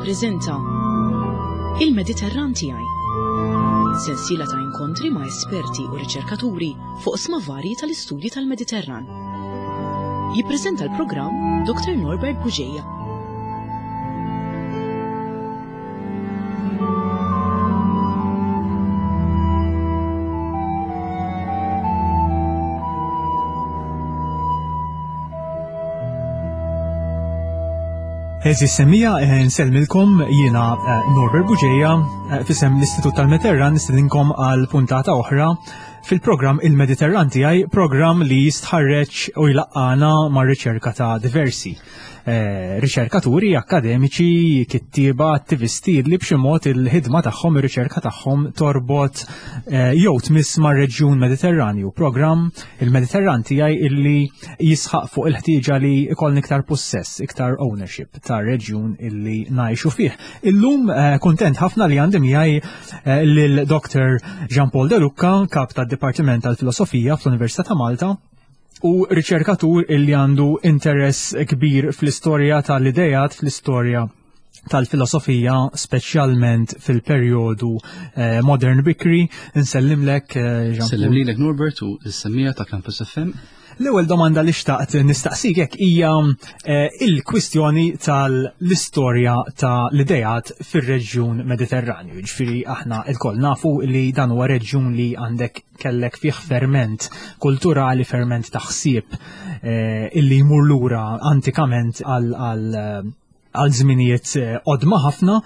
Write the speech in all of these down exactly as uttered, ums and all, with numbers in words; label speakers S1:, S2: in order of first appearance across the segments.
S1: Tippreżenta Il-Mediterran Tiegħi. Sensiela ta' inkontri ma' esperti u riċerkaturi fuq oqsma varji tal-istudji tal-Mediterran. Jippreżenta l-programm Dr. Norbert Bugeja.
S2: Għeżież semmiegħa, eh, nsellmilkom jiena eh, Norbert Bugeja eh, f'isem l-Istitut tal-Mediterran nistedinkom għal puntata oħra fil-programm Il-Mediterran tiegħi, programm li jistħarreġ u jlaqqana ma' riċerka ta' diversi riċerkaturi, akademiċi, kittieba, attivisti li b'xi mod il-ħidma tagħhom, ir-riċerka tagħhom torbot jew tmiss mar-reġjun Mediterranju. Programm Il-Mediterran tiegħi illi jisħaq fuq il-ħtieġa li ikollna iktar possess, iktar ownership ta' reġjun illi ngħixu fih. Illum kuntent ħafna li għandi miegħi lil Dr. Jean-Paul De Lucca, kap tad-Dipartiment tal-Filosofija fl-Università ta' Malta, u riċerkatur illi għandu interess kbir fl-istorja tal-idejat, fl-istorja tal-filosofija, speċjalment fil-perjodu eh, modern bikri. Nsellimlek, eh, Jean.
S3: Sellem lilek Norbert u s-semmiegħa ta' Campus FM.
S2: L-ewwel domanda li xtaqt nistaqsik hekk hija eh, il-kwistjoni tal-istorja tal-idejat fir-reġjun Mediterranju. Ġifieri aħna lkoll nafu li dan huwa reġjun li għandek kellek fih ferment kulturali, ferment ta' ħsieb eh, illi jmur lura antikament għal għal żminijiet qodma ħafna.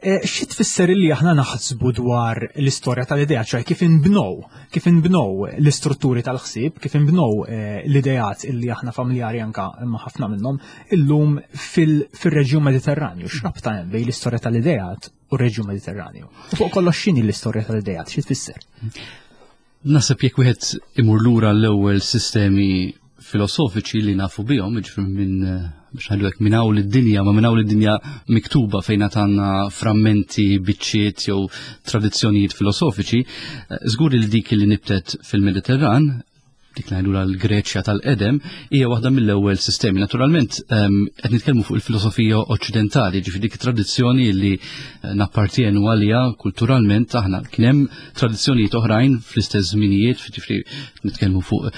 S2: Xi tfisser li aħna naħsbu dwar l-istorja tal-idea, ċoè kif inbnow, kif inbnow l-istrutturi tal-ħsieb, kif inbnow l-idejat illi aħna familjari anka ma' ħafna minnhom illum fil-reġjun Mediterranju. X'rabta hemm bejn l-istorja tal-idejat u r-reġjun Mediterranju? U fuq kollox x'inhi l-istorja tal-idejat, xi tfisser?
S3: Naħseb jekk wieħed imur lura l-ewwel sistemi filosofiċi li nafu bihom, jiġifieri minn biex ngħidu hekk minn hawn id-dinja, ma minn hawn id-dinja miktuba fejn għandna frammenti, biċċiet jew tradizzjonijiet filosofiċi, żgur li dik li nibtet fil-Mediterran, dik li ngħidu l-Greċja tal-qedem, hija waħda mill-ewwel sistemi. Naturalment qed nitkellmu fuq il-filosofija oċċidentali, ġifieri dik tradizzjoni li nappartienu għaliha kulturalment aħna. Kien hemm tradizzjonijiet oħrajn fl-istess żminijiet, ġifieri nitkellmu fuq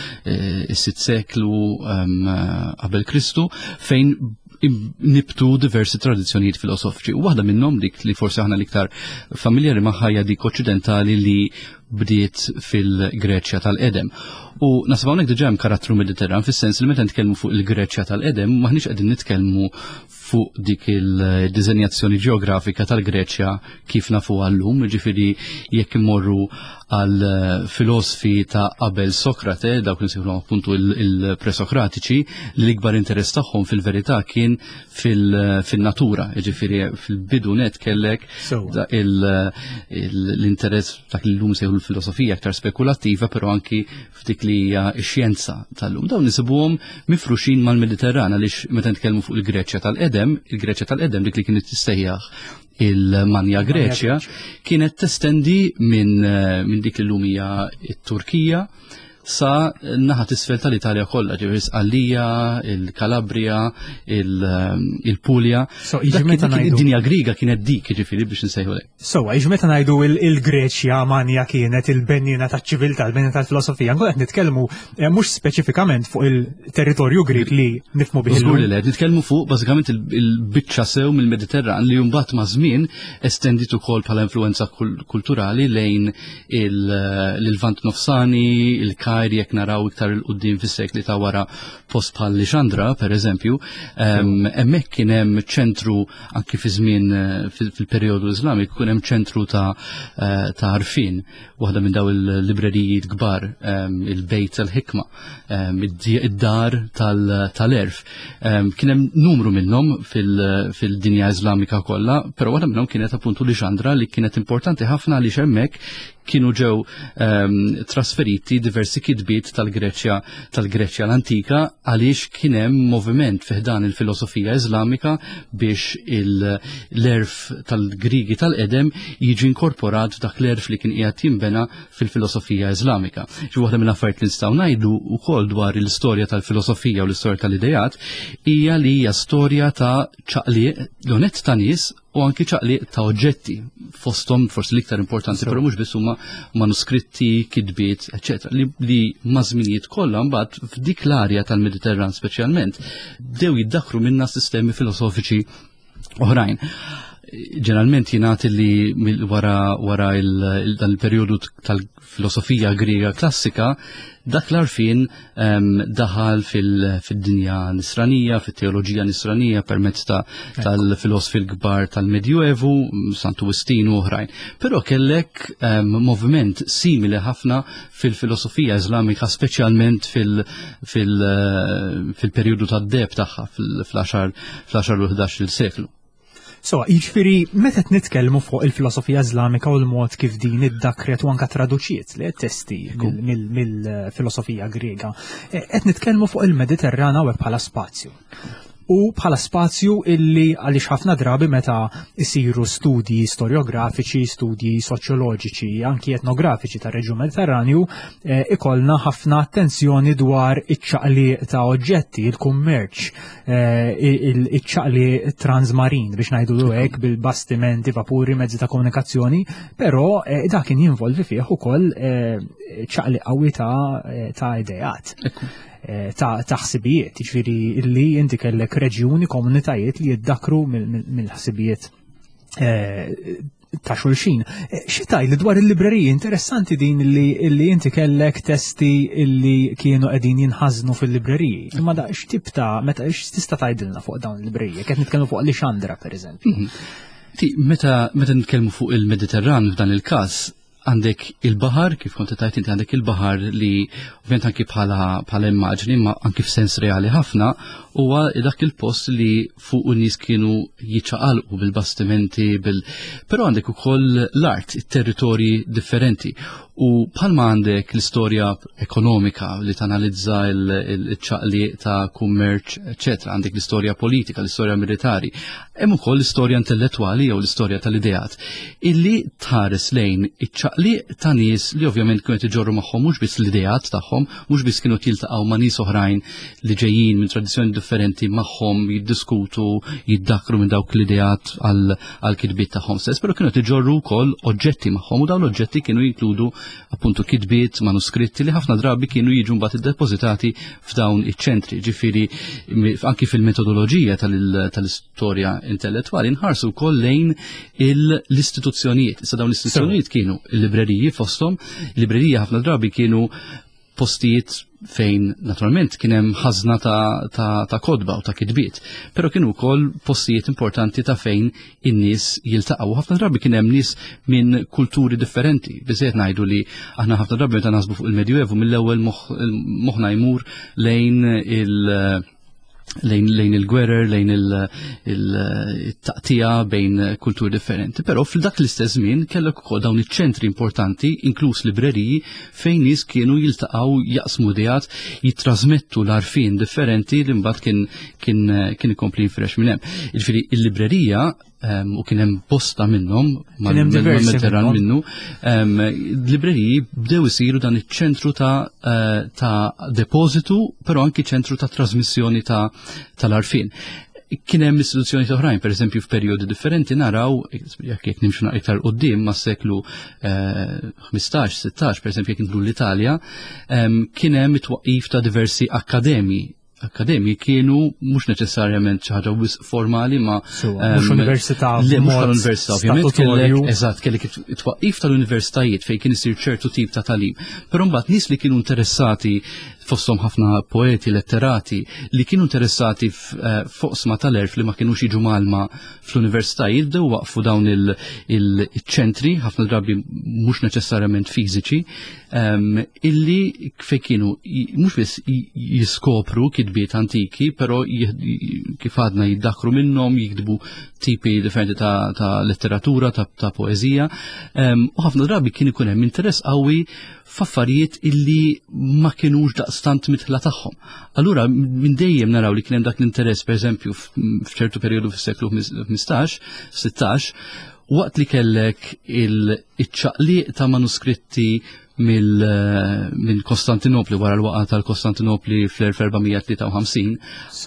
S3: is-sitt seklu qabel Kristu, fejn nibtu diversi tradizzjonijiet filosofiċi. U waħda minnhom dik li forsi aħna l-iktar familjari magħha hija dik oċċidentali li bdiet fil-Greċja tal-qedem. U naħseb hawnhekk diġà hemm karattru Mediterran fis-sens li meta nitkellmu fuq il-Greċja tal-qedem maħniex qegħdin nitkellmu fuq dik il-diżenjazzjoni ġeografika tal-Greċja kif nafuha llum, jiġifieri jekk immorru għal filosofi ta' qabel Sokrate, dawk li nsejħulhom appuntu il-presokratiċi, li l-ikbar interess tagħhom fil-verità kien fil-natura, jiġifieri fil-bidu net kellek l-interess dak li llum sejħu l-filosofija aktar spekulattiva, però anki f'dik li hija x-xjenza tal-lum. Dawn nisibuhom mifruxin mal-Mediterran għaliex meta nitkellmu fuq il-Greċja tal-qedem, il-Greċja tal-qedem dik li kienet tissejjaħ il-Manja Greċja kienet testendi minn min dik li llum hija t-Turkija sa naħa t'isfel tal-Italja kollha, ġifieri Sqallija, il-Kalabria, il-Puglia.
S2: So, jiġi meta ngħidu
S3: Id-dinja Griega kienet dik, jiġifieri biex nsejħu lek.
S2: So, jiġi meta ngħidu il-Greċja manja kienet il-bennina taċ-ċiviltà, il-bennina tal-filosofija, nkun qed nitkellmu eh, mhux speċifikament fuq il-territorju Grieg li nifhmu bih.
S3: Żgur li le, nitkellmu fuq bażikament il-biċċa sew mill-Mediterran li mbagħad ma' żmien estendit ukoll bħala influenza kulturali lejn il-Lvant Nofsani, il-Kajr, jekk naraw iktar il-qudiem fis-sekli ta' wara post bħal Lixandra, per eżempju, hemmhekk kien hemm ċentru anki fi żmien fil-perjodu Iżlamiku kien hemm ċentru ta' ta' għarfien, waħda minn daw il-librerijiet kbar, il-Bejt tal-Ħikma, id-dar tal-erf. Kien hemm numru minnhom fil-dinja Iżlamika kollha, però waħda minnhom kienet appuntu Lixandra li kienet importanti ħafna għaliex hemmhekk kienu ġew trasferiti diversi kitbiet tal-Greċja tal-Greċja l-antika għaliex kien hemm moviment fi ħdan il-filosofija Iżlamika biex l-erf tal-Grigi tal-qedem jiġi inkorporat f'dak l-erf li kien qiegħed jinbena fil-filosofija Iżlamika. Xi waħda mill-affarijiet li nistgħu ngħidu wkoll dwar l-istorja tal-filosofija u l-istorja tal-idejat hija li hija storja ta' ċaqliq l-onett ta' nies u anki ċaqliq ta' oġġetti, fosthom forsi l-iktar importanti, però mhux biss, huma manuskritti, kitbiet, eċetera, li, li maż-żminijiet kollha mbagħad f'dik l-arja tal-Mediterran speċjalment bdew jiddakru minna sistemi filosofiċi oħrajn. Ġeneralment jingħad li wara wara dan il-perjodu tal-filosofija Griega klassika, dak l-arfin um, daħal fil-dinja nisranija, fil-teoloġija nisranija permezz ta' tal-filosofi l-kbar tal-Medjuevu, Santu Wistin u oħrajn. Però kellek um, moviment simili ħafna fil-filosofija Islamika, speċjalment fil-perjodu tad-deheb tagħha fl-għaxar u ħdax-il seklu.
S2: So, jiġifieri, meta nitkellmu fuq il-filosofija Islamika u l-mod kif din iddakret u anka traduċiet li testi mill-filosofija Griega, e, qed nitkellmu fuq il-Mediterrana u bħala spazju. U bħala spazju illi għaliex ħafna drabi meta isiru studji storiografiċi, studji soċjoloġiċi, anki etnografiċi tar reġjun Mediterranju, eh, ikollna ħafna attenzjoni dwar iċ-ċaqli ta' oġġetti, il-kummerċ, eh, iċ-ċaqli transmarin biex ngħidu hekk, bil-bastimenti, vapuri, mezzi ta' komunikazzjoni, però eh, dak kien jinvolvi fih ukoll ċaqli qawwi ta' ideat, ta' ħsibijiet, jiġifieri illi inti kellek reġjuni, komunitajiet li jiddakru mill-ħsibijiet ta' xulxin. Xi tgħid dwar il-libreriji? Interessanti din li inti kellek testi illi kienu qegħdin jinħażnu fil-libreriji. Imma da x'tip ta' meta x'tista' tgħidilna fuq dawn il-libreriji? Qed nitkellmu fuq Lixandra, pereżempju.
S3: Mhm. Meta meta nitkellmu fuq il-Mediterran f'dan il-każ, għandek il-bahar, kif kont tajt inti, għandek il-bahar li ovvjament anki bħala bħala immaġni, ma anki f'sens reali ħafna, huwa dak il-post li fuq n-nies kienu jiċċaqalqu bil-bastimenti, bil però għandek ukoll l-art, it-territorji differenti. U bħalma għandek l-istorja ekonomika li tanalizza il-ċaqli ta' kummerċ, eċetera, għandek l-istorja politika, l-istorja militari, hemm ukoll l-istorja intellettwali jew l-istorja tal-ideat illi tħares lejn iċ-ċaqli ta' nies li ovvjament kienu iġorru magħhom mhux biss l-ideat tagħhom, mhux biss kienu jiltaqgħu ma' nies oħrajn li ġejjin minn tradizzjoni differenti magħhom, jiddiskutu, jiddakru minn dawk l-ideat għal kitbiet tagħhom stess, però kienu iġorru wkoll oġġetti magħhom u dawn l-oġġetti kienu jinkludu appuntu kitbiet, manuskritti li ħafna drabi kienu jiġu mbagħad iddepożitati f'dawn iċ-ċentri. Ġifieri anki fil-metodoloġija tal-istorja intellettwali nħarsu wkoll lejn l-istituzzjonijiet. Issa dawn l-istituzzjonijiet kienu il-libreriji fosthom, libreriji ħafna drabi kienu postijiet fejn naturalment kien hemm ħażna ta', ta, ta' kotba u ta' kitbiet, però kienu wkoll postijiet importanti ta' fejn in-nies jiltaqgħu. Ħafna drabi kien hemm nies minn kulturi differenti. Biżejjed ngħidu li aħna ħafna drabi meta naħsbu fuq il-Medjuevu, mill-ewwel moħħna jmur lejn il- lejn, lejn il-gwerer, lejn il-taqtija bejn kulturi differenti. Però fil-dak l-istess żmien kellek ukoll dawn iċ-ċentri importanti, inkluż libreriji, fejn nies kienu jiltaqgħu, jaqsmu ideat, jittrasmettu l-arfin differenti li mbagħad kien kien kien ikompli jinfirex minn hemm. Jiġifieri il-librerija, u kien hemm bosta minnhom mal-Mediterran minnu, libreriji bdew isiru dan iċ-ċentru ta' eh, ta' depożitu, però anki ċentru ta' trasmissjoni ta' tal-arfin. Kien hemm istituzzjoni oħrajn, pereżempju f'perjodi differenti naraw, jekk jekk nimxu iktar quddiem mas-seklu ħmistax, sittax, pereżempju jekk nidħlu l-Italja, kien hemm it-twaqqif ta' diversi akkademji. Akkademji kienu mhux neċessarjament xi ħaġa wisq formali, ma
S2: mhux università.
S3: Le, mhux tal-università, ovvjament kellek, eżatt, kellek it-twaqqif tal-universitajiet fejn kien isir ċertu tip ta' tagħlim. Però mbagħad nies li kienu interessati, fosthom ħafna poeti, letterati, li kienu interessati f'oqsma tal-għerf li ma kienux jiġu mgħallma fl-universitajiet, bdew waqfu dawn il-ċentri, ħafna drabi mhux neċessarjament fiżiċi, illi fejn kienu mhux biss jiskopru kitbiet antiki, però kif għadna jiddakru minnhom, jiktbu tipi differenti ta', ta letteratura, ta', ta poeżija, u ħafna drabi kien ikun hemm interess qawwi f'affarijiet illi ma kienux daqstant mitħla tagħhom. Allura minn dejjem naraw li kien hemm dak l-interess, pereżempju f'ċertu perjodu fis-seklu ħmistax, sittax, waqt li kellek il-ċaqliq ta' manuskritti minn Kostantinopli wara l-waqa tal-Kostantinopli fl-elf erba' mija tlieta u ħamsin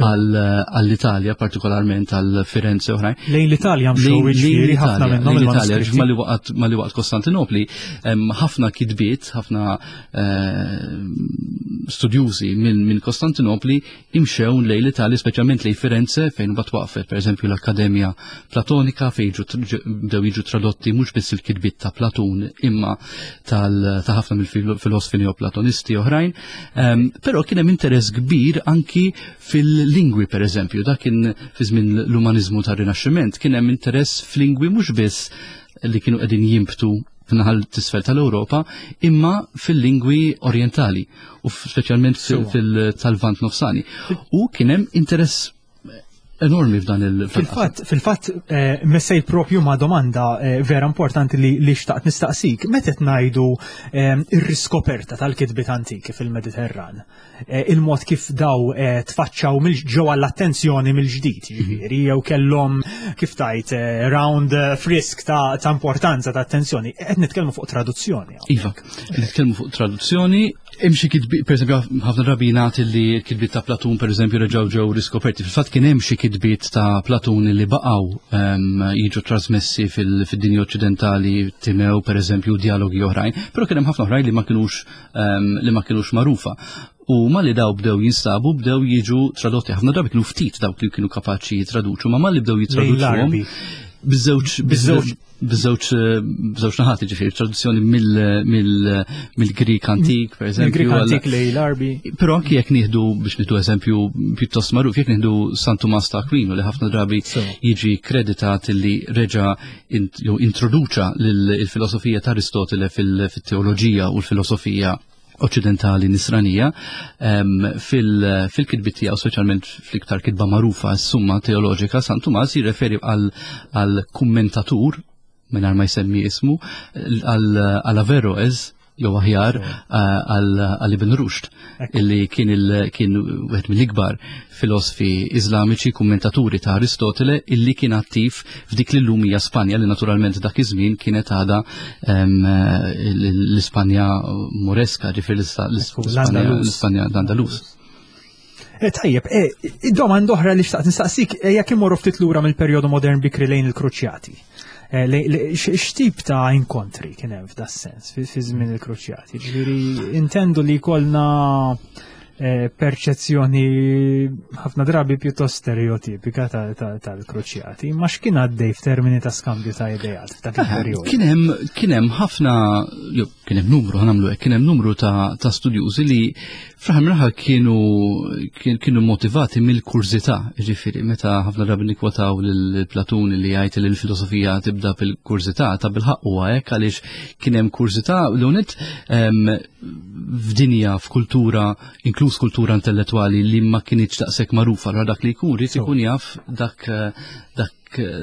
S3: għall-Italja, partikolarment għal Firenze oħrajn.
S2: Lejn l-Italja mxew, jiġifieri, ħafna minnhom
S3: il-Italja, malli waqgħet malli waqgħet Kostantinopli, ħafna kitbiet, ħafna eh, studjużi minn Kostantinopli imxew lejn l-Italja, speċjalment lejn Firenze, fejn bat waqfet, per eżempju, l-Akkademja Platonika, fejn bdew jiġu tradotti mhux biss il-kitbiet ta' Platun imma tal ta' ħafna mill-filosofi neoplatonisti oħrajn, um, però kien hemm interess kbir anki fil-lingwi. Per eżempju, dak kien fi żmien l-umanizmu tar-Rinaxximent, kien hemm interess fil-lingwi mhux biss li kienu qegħdin jimbtu f'naħa t'isfel tal-Ewropa, imma fil-lingwi orientali u speċjalment fil-Lvant Nofsani. U kien hemm interess enormi f'dan il-
S2: Fil-fatt, fil-fatt, eh, messejt propju ma' domanda eh, vera importanti li, li xtaqt nistaqsik. Meta ngħidu eh, ir-riskoperta tal-kitbiet antiki fil-Mediterran, eh, il-mod kif daw eh, tfaċċaw ġew għall-attenzjoni mill-ġdid, jiġifieri, jew kellhom, kif tajt, eh, round frisk ta', ta' importanza, ta' attenzjoni, qed nitkellmu fuq traduzzjoni.
S3: Iva, nitkellmu fuq traduzzjoni. Hemm xi kitbiet, per eżempju, ħafna drabi jingħad li l-kitbiet ta' Platun, per eżempju, reġgħu ġew riskoperti. Fil-fatt kien hemm xi kitbiet ta' Platun li baqgħu um, jiġu trasmessi fil-dinja oċċidentali, Timew, per eżempju, dialogi oħrajn, però kien hemm ħafna oħrajn li ma kinux um, li ma kinux magħrufa. U malli daw bdew jinstabu, bdew jiġu tradotti. Ħafna drabi kienu ftit dawk li kienu kapaċi jitraduċu, ma malli bdew jitraduċuhom biż-żewġ biż-żewġ biż-żewġ biż-żewġ naħat, ġifieri traduzzjoni mill-Grik antik, per eżempju.
S2: Mill-Grik antik lejn l-Arbi.
S3: Però anki jekk nieħdu, biex nieħdu eżempju pjuttost magħruf, jekk nieħdu San Tumas ta' Aquino, li ħafna drabi jiġi kreditat li reġa jew introduċa l-filosofija ta' Aristotele fil-teoloġija u l-filosofija oċċidentali nisranija, fil-kitbiet tiegħu, speċjalment fl-iktar kitba magħrufa, s-Summa Teoloġika, San Tumas jirreferi għal kummentatur, mingħajr ma jsemmi ismu, għal Averroes, jew aħjar għal Ibn Rushd, illi kien kien wieħed mill-ikbar filosofi iżlamiċi, kummentaturi ta' Aristotele, illi kien attiv f'dik li llum hija Spanja, li naturalment dak iż-żmien kienet għadha l-Ispanja Moreska, ġifieri l-Ispanja l-Andalus.
S2: Eh, tajjeb, eh, domanda oħra li xtaqt nistaqsik, eh, jekk imorru ftit lura mill-perjodu modern bikri lejn il-Kruċjati. X'tip ta' inkontri kien hemm f'da sens fi żmien il-Kruċjati? Ġifieri intendu li jkollna perċezzjoni ħafna drabi pjuttost stereotipika tal-Kruċjati, ma x'kien għaddej f'termini ta' skambju ta' ideat f'dak il-perjodu?
S3: Kien hemm kien hemm ħafna, kien hemm numru, ħa nagħmlu hekk, kien hemm numru ta' ta' studjużi li fl-aħħar mill kienu kienu motivati mill-kurżità, ġifieri meta ħafna drabi nikkwotaw lil Platun li jgħid li l-filosofija tibda bil-kurżità, ta' bilħaqq huwa hekk, għaliex kien hemm kurżità l f'dinja, f'kultura, inkluż kultura intellettwali li ma kinitx daqshekk magħrufa, allura dak li jkun ried ikun jaf dak dak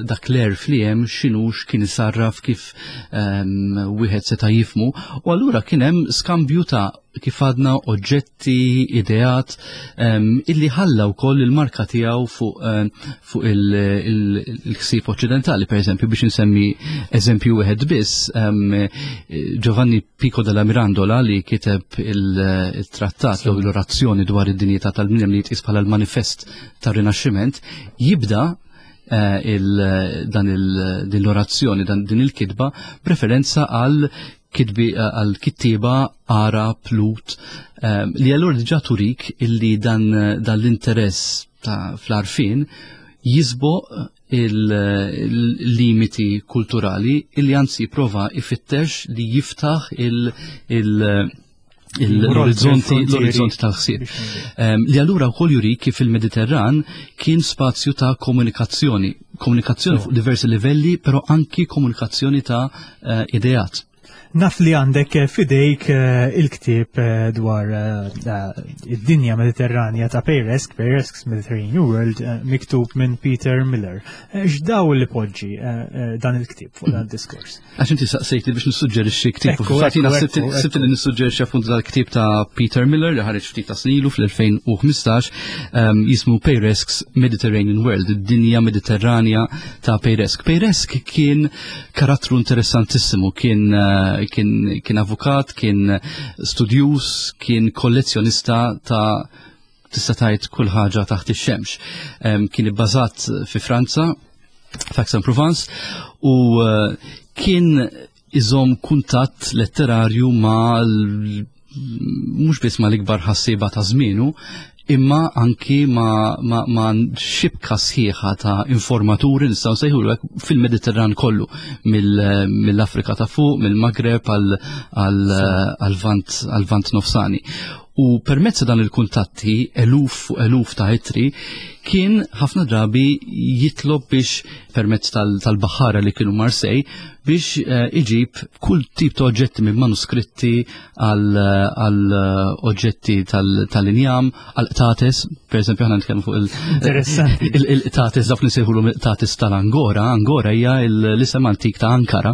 S3: dak l-għerf li hemm x'inhu, x'kien isarraf, kif wieħed seta' jifmu. U allura kien hemm skambju ta', kif għadna, oġġetti, ideat, illi ħalla wkoll il-marka tiegħu fuq fuq il-ħsieb oċċidentali. Per eżempju, biex insemmi eżempju wieħed biss, Giovanni Pico della Mirandola, li kiteb il-trattat jew l-orazzjoni dwar id-dinjità tal-bniedem, li jitqis bħala l-manifest tar-Rinaxximent, jibda eh, dan din l-orazzjoni, din il-kitba, preferenza għal kitbi għal kittiba Arab Lhud, eh, li allura diġà turik illi dan, dan l-interess ta' fl-għarfien jisboq il-limiti kulturali, illi anzi prova ifittex li jiftaħ il- il- l-orizzonti l-orizzonti tal-ħsieb. Li allura wkoll juri kif il-Mediterran kien spazju ta' komunikazzjoni, komunikazzjoni fuq diversi livelli, però anki komunikazzjoni ta' eh, ideat.
S2: Naf li għandek fidejk eh, il-ktieb eh, dwar id-dinja Mediterranja ta' Peiresc, Peiresque's Mediterranean World, miktub minn Peter Miller. X'daw li poġġi dan il-ktieb fuq dan diskors?
S3: Għax inti saqsejti biex nissuġġerixxi ktieb. Fatina sibt li nissuġġerixxi appuntu dal-ktieb ta' Peter Miller li ħareġ ftit ta' snilu fl-elfejn u ħmistax, jismu Peiresque's Mediterranean World, id-dinja Mediterranja ta' Peiresc. Peiresc kien karattru interessantissimu, kien kien, kien avukat, kien studjuż, kien kollezzjonista ta' tista' tgħid kull ħaġa taħt ix-xemx. Kien ibbażat fi Franza, f'Aix-en-Provence, u eh, kien iżomm kuntatt letterarju ma' mhux biss ma' l-ikbar ħassieba ta' żmienu, imma anki ma, ma, ma xibka sħiħa ta' informaturi, nistgħu nsejħulu fil-Mediterran kollu, mill-Afrika ta' fuq, mill-Magreb għal-Vant Nofsani. U permezz dan il-kuntatti, eluf u eluf ta' ittri, kien ħafna drabi jitlob biex permezz tal-baħara li kienu Marsej biex eh, iġib kull tip ta' oġġetti, minn manuskritti għal oġġetti tal-injam, għal qtates, per eżempju aħna nitkellmu fuq il-qtates, dawk li nsejħulu qtates tal-Angora. Angora hija l-isem antik ta' Ankara,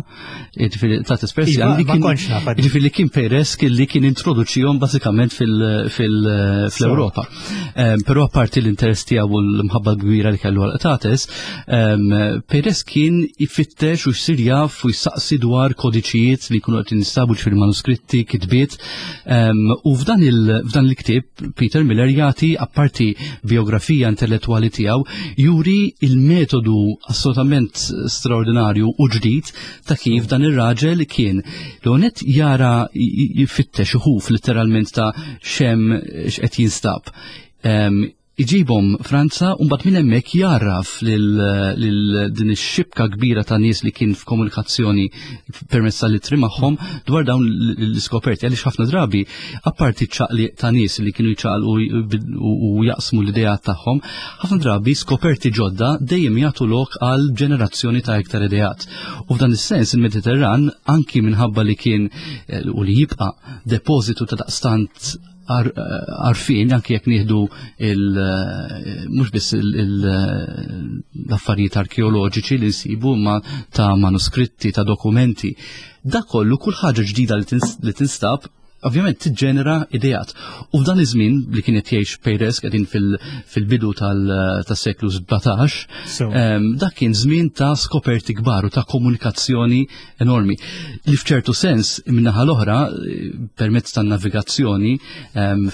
S3: jiġifieri qtates Persjan, jiġifieri li kien Peiresc li kien introduċihom bażikament fil-Ewropa. Però apparti l-interess tiegħu u l-mħabba kbira li kellu għal qtates, Peiresc kien ifittex u jsir jaf u jsaqsi dwar kodiċijiet li jkunu qed jinstabu fil-manuskritti, kitbiet. U f'dan il-ktieb Peter Miller jagħti, apparti biografija intellettwali tiegħu, juri il-metodu assolutament straordinarju u ġdid ta' kif dan ir-raġel kien l-onet jara, jfittex uħuf letteralment ta' xem x'qed jinstab, iġibhom Franza u mbagħad minn hemmhekk jarraf lil din ix-xibka kbira ta' nies li kien f'komunikazzjoni permezz tal-ittri magħhom dwar dawn l-iskoperti, għaliex ħafna drabi, apparti ċaqli ta' nies li kienu jċaqlqu u jaqsmu l-idea tagħhom, ħafna drabi skoperti ġodda dejjem jagħtu lok għal ġenerazzjoni ta' iktar ideat. U f'dan is-sens il-Mediterran, anki minħabba li kien eh, u li jibqa' depożitu ta' daqstant għarfien, anki jekk nieħdu mhux biss l-affarijiet arkeoloġiċi li nsibu, ma ta' manuskritti, ta' dokumenti. Da kollu, kull ħaġa ġdida li tinstab ovvjament tiġġenera ideat. U f'dan iż-żmien li kien qed jgħix Peiresc, qegħdin fil-bidu tas-seklu sbatax, dak kien żmien ta' skoperti kbar u ta' komunikazzjoni enormi. Li f'ċertu sens, min-naħa l-oħra, permezz tan-navigazzjoni,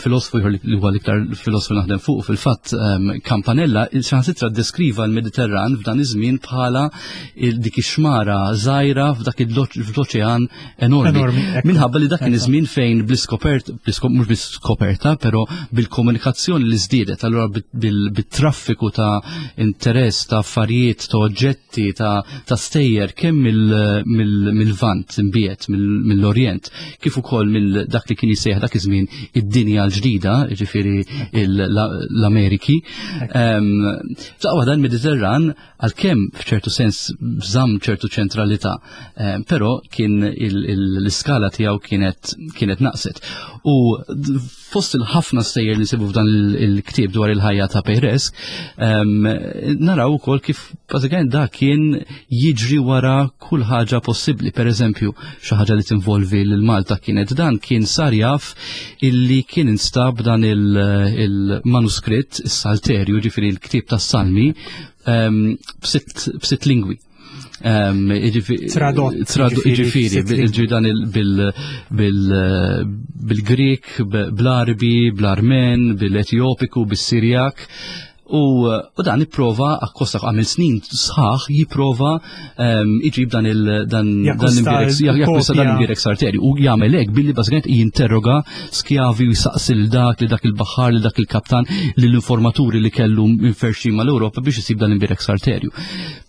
S3: filosfu ieħor li huwa l-iktar filosfu naħdem fuq fil-fatt, Campanella, saħansitra deskriva l-Mediterran f'dan iż-żmien bħala dik ix-xmara żgħira f'dak l-oċean enormi. Minħabba li dak kien iż-żmien fejn bl-iskopert, mhux bl-iskoperta, però bil-komunikazzjoni li żdiedet, allura bit-traffiku ta' interess, ta' affarijiet, ta' oġġetti, ta' stejjer kemm mill-Lvant imbiet, mill-Orjent, kif ukoll mill dak li kien jisejjaħ dak iż-żmien id-dinja l-ġdida, jiġifieri l-Ameriki. F'daqqa dan Mediterran, għalkemm f'ċertu sens żamm ċertu ċentralità, però kien l-iskala tiegħu kienet kienet naqset. U fost il-ħafna stejjer li nsibu f'dan il-ktieb dwar il-ħajja ta' Peiresc, naraw ukoll kif bażikament da kien jiġri wara kull ħaġa possibbli. Per eżempju, xi ħaġa li tinvolvi lil Malta kienet dan kien sar jaf illi kien instab dan il-manuskritt, is-Salterju, ġifieri l-ktieb tas-Salmi, b'sitt lingwi.
S2: Tradott.
S3: Ġifieri, ġifieri dan bil-Grek, bl-Arbi, bl-Armen, bil-Etjopiku, bis-Sirjak. U dan ipprova, akkosta għamil snin sħaħ, jipprova iġib dan il- dan dan imbierek Salterju. U jagħmel hekk billi bażikament jinterroga skjavi u jsaqsi lil dak, li dak il-baħar, li dak il-kaptan, lill-informaturi li kellu inferxin mal-Ewropa biex isib dan imbierek Salterju.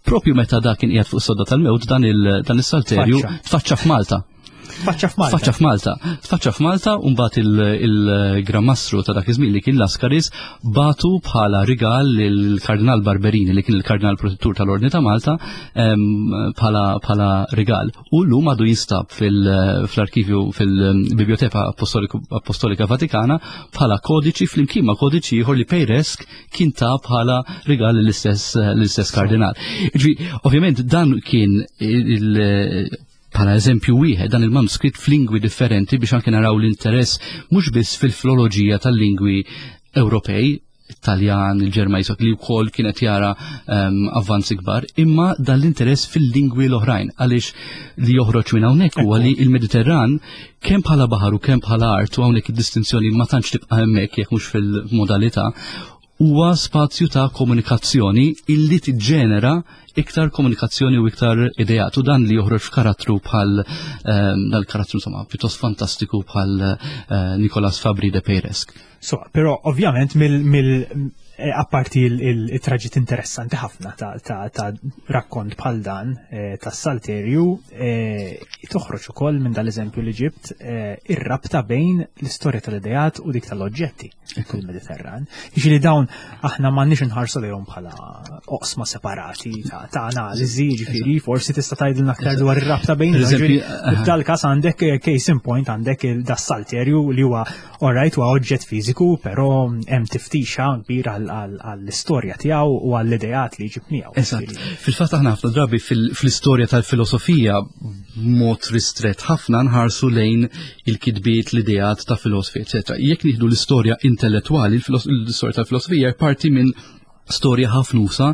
S3: Propju meta dak kien qiegħed fuq sodda tal-mewt, dan il-Salterju tfaċċa f'Malta.
S2: Tfaċċa f'Malta.
S3: Tfaċċa f'Malta. Tfaċċa f'Malta u mbagħad il-Gran Mastru ta' dak iż-żmien li kien Laskaris batu bħala rigal lill-Kardinal Barberini, li kien il-Kardinal Protettur tal-Ordni ta' Malta, bħala rigal. U llum għadu jinstab fil-arkivju fil-Biblioteka Apostolika Vatikana bħala kodiċi flimkien ma' kodiċi ieħor li Peiresc kien ta' bħala rigal l-istess kardinal. Ġifieri, ovvjament dan kien il- bħala eżempju wieħed, dan il-manuskritt f'lingwi differenti, biex anke naraw l-interess mhux biss fil-filoloġija tal-lingwi Ewropej, Taljan, il-Ġermaniż, li wkoll kienet jara um, avvanzi kbar, imma dan l-interess fil-lingwi l-oħrajn, għaliex li joħroġ minn hawnhekk huwa li il-Mediterran kemm bħala baħar u kemm bħala art, u hawnhekk id-distinzjoni ma tantx tibqa' hemmhekk jekk mhux fil-modalità, huwa spazju ta' komunikazzjoni illi tiġġenera iktar komunikazzjoni u iktar ideat, u dan li joħroġ f'karattru bħal um, dal-karattru insomma pjuttost fantastiku bħal uh, Nicolas Fabri de Peiresc.
S2: So, però ovvjament mill, mill eh, apparti il-traġit interessanti ħafna ta', ta, ta rakkont bħal dan eh, tas Salterju, eh, toħroġ ukoll minn dal-eżempju li ġibt eh, ir-rabta bejn l-istorja tal-ideat u dik tal-oġġetti fil-Mediterran. Jiġifieri dawn aħna m'għandniex inħarsu lejhom bħala oqsma separati ta', ta' analiżi, jiġifieri forsi tista' tgħidilna aktar dwar ir-rabta bejn.
S3: Per eżempju,
S2: F'dal-każ għandek eh, case in point, għandek il-das-Salterju li huwa, alright, huwa oġġett fiżiku, però hemm tiftixa kbira għall-istorja tiegħu u għall-ideat li jġib miegħu.
S3: Eżatt. Fil-fatt aħna ħafna drabi fil- fl-istorja tal-filosofija b'mod ristret ħafna nħarsu lejn il-kitbiet, l-ideat ta' filosofi, eċetera. Jekk nieħdu l-istorja intellettwali, il-filos- l-istorja tal-filosofija hija parti minn storja ħafna usa'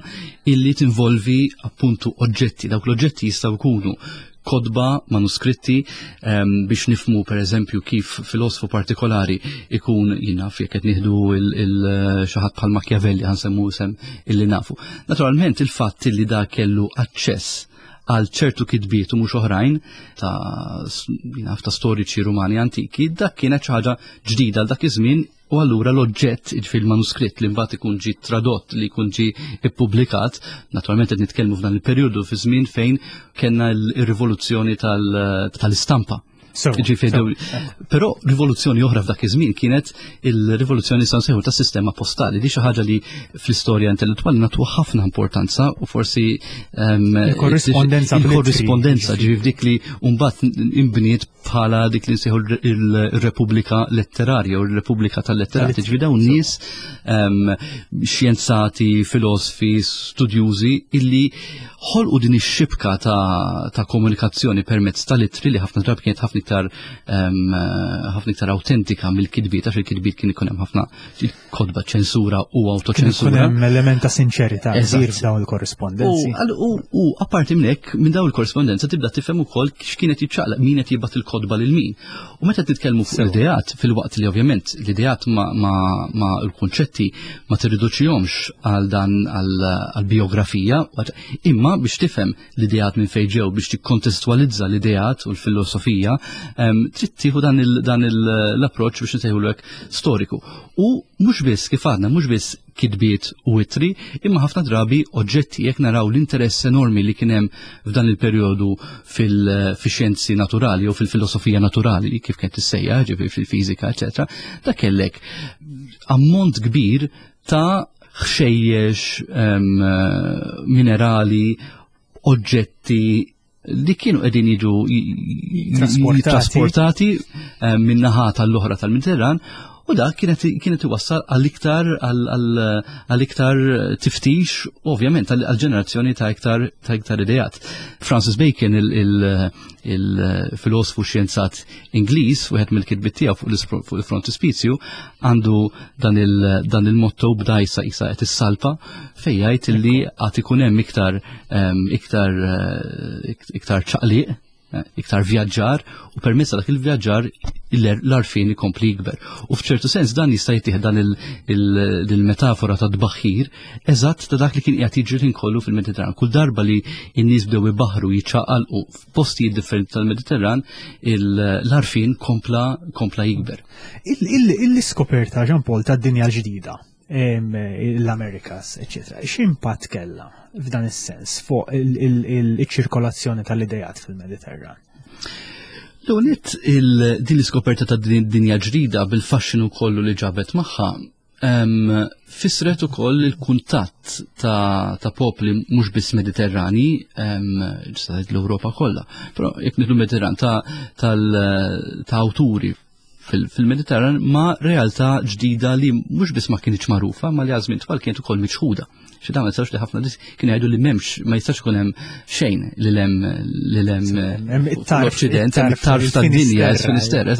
S3: illi tinvolvi appuntu oġġetti. Dawk l-oġġetti jistgħu jkunu kotba, manuskritti, um, biex nifmu per eżempju kif filosofu partikolari ikun jinaf jekk qed nieħdu il-xi ħadd bħal Machiavelli, ħa nsemmu isem illi nafu. Naturalment il-fatt illi da kellu aċċess għal ċertu kitbiet u mhux oħrajn ta' jinaf ta' storiċi Rumani antiki, dak kienet xi ħaġa ġdida għal dak iż-żmien, u allura l-oġġett, jiġifieri l-manuskritt li mbagħad ikun ġi tradott, li jkun ġi ippubblikat, naturalment qed nitkellmu f'dan il-perjodu fi żmien fejn kellna l-rivoluzzjoni tal-istampa.
S2: So,
S3: Ġifieri
S2: so,
S3: daw- Però rivoluzzjoni oħra f'dak iż-żmien kienet il-rivoluzzjoni san seħu tas-sistema postali. Di xi ħaġa li fl-istorja intellettwali nagħtu ħafna importanza u forsi um,
S2: Il-korrispondenza bl-ittri.
S3: Il-korrispondenza, ġifieri f'dik li mbagħad imbniet bħala dik li nsejħu il-Repubblika Letterarja u l-Repubblika tal-Letterati. Ġifieri dawn nies um, xjenzati, filosofi, studjużi illi ħolqu din ix-xibka ta', ta' komunikazzjoni permezz tal-ittri li ħafna drabi kienet ħafna iktar um, ħafna iktar autentika mill-kitbiet, għax il-kitbiet kien ikun hemm ħafna kotba ċensura u
S2: Kien ikun
S3: autoċensura.
S2: hemm element ta' sinċerità
S3: Eżatt.
S2: kbir f'dawn il-korrispondenzi.
S3: U, għal- u, u apparti minn hekk, minn dawn il-korrispondenza tibda tifhem ukoll x'kienet jiċċaqlaq, min qed jibgħat il-kotba lil min. U meta titkellmu fuq
S2: Sewa.
S3: l-ideat, filwaqt li ovvjament l-ideat ma, ma, ma l-konċetti ma tirriduċihomx għal dan għal biografija, imma biex tifhem l-ideat minn fejn ġew, biex tikkontestualizza l-ideat u l-filosofija, em, trid tieħu dan il- dan il- l-approċċ biex nsejħulek storiku. U mhux biss kif għadna, mhux biss kitbiet u ittri, imma ħafna drabi oġġetti. Jekk naraw l-interess enormi li kien hemm f'dan il-perjodu fil-xjenzi naturali u fil-filosofija naturali, kif kienet tissejjaħ, ġifieri fil-fiżika, eċetera, da kellek ammont kbir ta' ħxejjex, em, minerali, oġġetti li kienu qegħdin jiġu
S2: Trasportati.
S3: trasportati eh, minn naħa tal-oħra tal-Mediterran, u dak kienet kienet iwassal għal-iktar għal-iktar tiftix, ovvjament għal-ġenerazzjoni ta' iktar ta' iktar ideat. Francis Bacon, il-filosofu xjenzat Ingliż, wieħed mill-kitbiet tiegħu fuq il-frontispizju għandu dan il-motto b'dajsa isa qed issalpa, fejn jgħid illi għad ikun hemm iktar iktar iktar ċaqliq, iktar vjaġġar, u permezz dak il-vjaġġar l-għarfien ikompli jikber. U f'ċertu sens dan jista' jittieħed dan il-metafora ta' tbaħħir eżatt ta' dak li kien qiegħed jiġri kollu fil-Mediterran. Kull darba li n-nies bdew ibaħru, jiċċaqalqu f'postijiet differenti tal-Mediterran, l-għarfien kompla kompla jikber.
S2: Il-iskoperta, Jean Paul, tad-dinja l-ġdida, l-Amerikas, eccetera, x'impatt kellha f'dan is-sens fuq il-ċirkolazzjoni tal-idejat fil-Mediterran?
S3: L-għonet din l-iskoperta ta' dinja ġdida bil-faxxinu kollu li ġabet magħha fisret ukoll il-kuntatt ta', ta popli mhux biss Mediterrani, ġista l-Ewropa kollha, però jekk nidlu Mediterran ta', ta' awturi fil-Mediterran ma' realtà ġdida li mhux biss ma kienx magħrufa, ma li għal żmien twal kienet ukoll miċħuda. Xi dawn ma jistax li ħafna nies kienu jgħidu li m'hemmx, ma jistax ikun hemm xejn li lem li lem l-Occident, hemm it-tarf tad-dinja, Finisterre.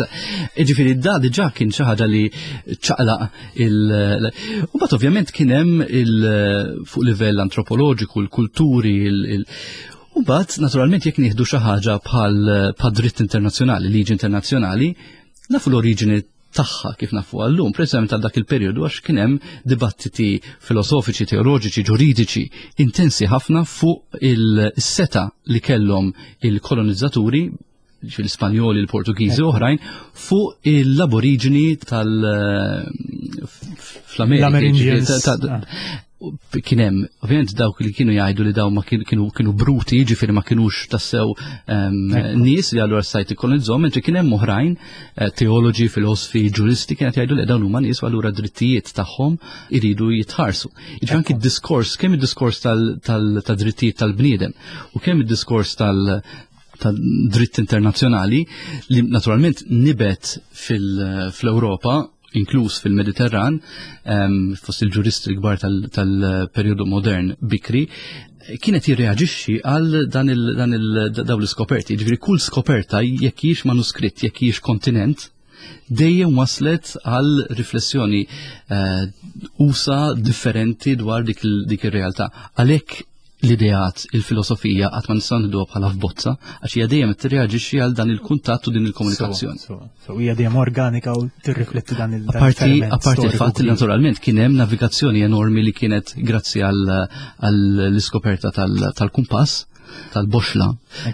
S3: Jiġifieri da diġà kien xi ħaġa li ċaqlaq il. U mbagħad ovvjament kien hemm il fuq livell antropoloġiku, l-kulturi, il U mbagħad naturalment jekk nieħdu xi ħaġa bħal dritt internazzjonali, liġi internazzjonali, nafu l-oriġini tagħha kif nafu għallum, preżament għal dak il-perjodu għax kien hemm dibattiti filosofiċi, teoloġiċi, ġuridiċi intensi ħafna fuq il-seta li kellhom il-kolonizzaturi, l-Ispanjoli, il-Portugiżi u oħrajn, fuq l-aboriġini tal-fl-Amerika. Kien hemm ovvjament dawk li kienu jgħidu li daw ma kienu kienu bruti, ġifieri ma kienux tassew nies li allura stajt ikkolonizzhom, mentri kien hemm oħrajn, teoloġi, filosofi, ġuristi kienet jgħidu li dawn huma nies u allura drittijiet tagħhom iridu jitħarsu. Jiġifieri anki d-diskors, kemm id-diskors tal-drittijiet tal-bniedem u kemm id-diskors tal dritt internazzjonali li naturalment nibet fil-Ewropa, inkluż fil-Mediterran, fost il-ġuristi l-kbar tal-periodu modern bikri, kienet jirreaġixxi għal dan dawn l-iskoperti. Ġifieri kull skoperta, jekk hijiex manuskritt, jekk hijiex kontinent, dejjem waslet għal riflessjoni usa differenti dwar dik ir-realtà. Għalhekk l-ideat, il-filosofija qatt ma nistgħu nieħduha bħala f'bozza, għax hija dejjem tirreaġixxi għal dan il-kuntatt u din il-komunikazzjoni.
S2: So hija dejjem organika u tirrifletti dan il-
S3: Apparti apparti il-fatt li naturalment kien hemm navigazzjoni enormi li kienet grazzi għall-iskoperta tal-kumpass, tal-boxla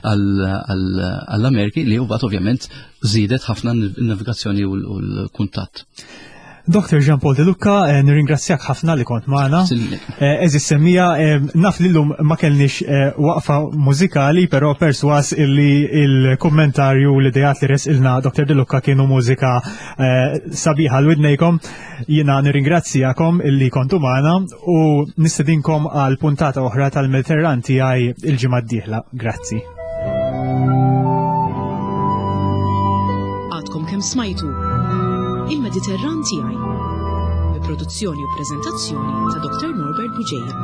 S3: għall-Ameriki li mbagħad ovvjament żiedet ħafna n-navigazzjoni u l-kuntatt.
S2: Doktor Jean Paul De Luca, eh, nirringrazzjak ħafna li kont magħna. Għeżież semmiegħa, naf li llum ma kellniex waqfa mużikali, però perswas illi il-kommentarju l-idejat li ressqilna Doktor De Luca kienu mużika sabiħa għal widnejkom. Jiena nirringrazzjakom illi kontu magħna u nistedinkom għal puntata oħra tal-Mediterran tiegħi il-ġimgħa d-dieħla. Grazzi.
S1: Għadkom kemm smajtu Il-Mediterran tiegħi, bi produzzjoni u preżentazzjoni ta' Doktor Norbert Bugeja.